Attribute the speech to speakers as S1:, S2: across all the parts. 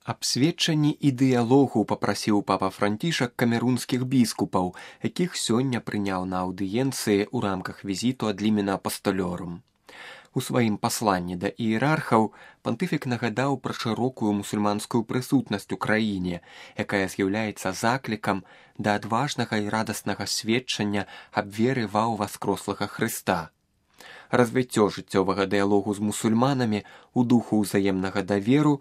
S1: Аб сведчанні і дыялогу папрасіў папа Францішак камерунскіх біскупаў, якіх сёння прыняў на аўдыенцыі ў рамках візіту ад лімена апасталёрум. У сваім пасланні да іерархаў пантыфік нагадаў пра шырокую мусульманскую прысутнасць у краіне, якая з'яўляецца заклікам да адважнага і радаснага сведчання аб веры ва ўваскрослага Хрыста. Развіццё жыццёвага дыялогу з мусульманамі ў духу ўзаемнага даверу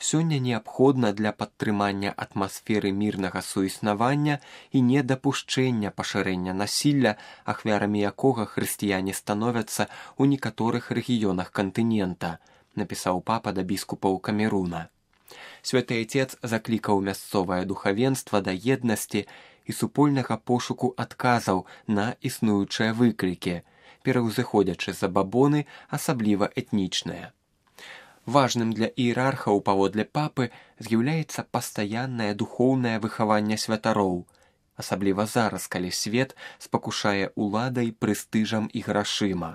S1: сёння неабходна для падтрымання атмасферы мірнага суіснавання і недапушчэння пашырэння насілля, ахвярамі якога хрысціяне становяцца ў некаторых рэгіёнах кантынента, напісаў папа да біскупаў Камеруна. Святы Айцец заклікаў мясцовае духавенства да еднасці і супольнага пошуку адказаў на існуючыя выклікі, пераўзыходзячы забабоны, асабліва этнічныя. Важным для іерархаў паводле папы з'яўляецца пастаяннае духоўнае выхаванне святароў, асабліва зараз, калі свет спакушае уладай, прэстыжам і грашыма.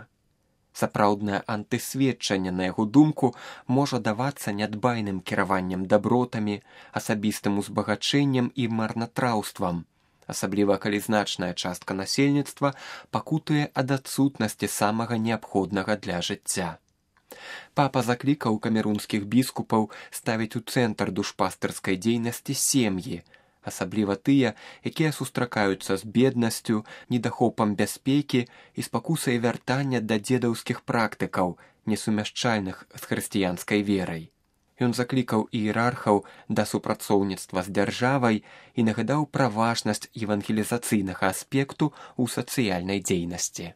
S1: Сапраўднае антысведчанне, на яго думку, можа давацца нядбайным кіраваннем дабротамі, асабістым узбагачэннем і марнатраўствам, асабліва калі значная частка насельніцтва пакутуе ад адсутнасці самага неабходнага для жыцця. Папа заклікаў камерунскіх біскупаў ставіць у цэнтр душпастырскай дзейнасці сем'і, асабліва тыя, якія сустракаюцца з беднасцю, недахопам бяспекі і спакусай вяртання да дзедаўскіх практыкаў, несумяшчальных з хрысціянскай верай. Ён заклікаў іерархаў да супрацоўніцтва з дзяржавай і нагадаў пра важнасць евангелізацыйнага аспекту ў сацыяльнай дзейнасці.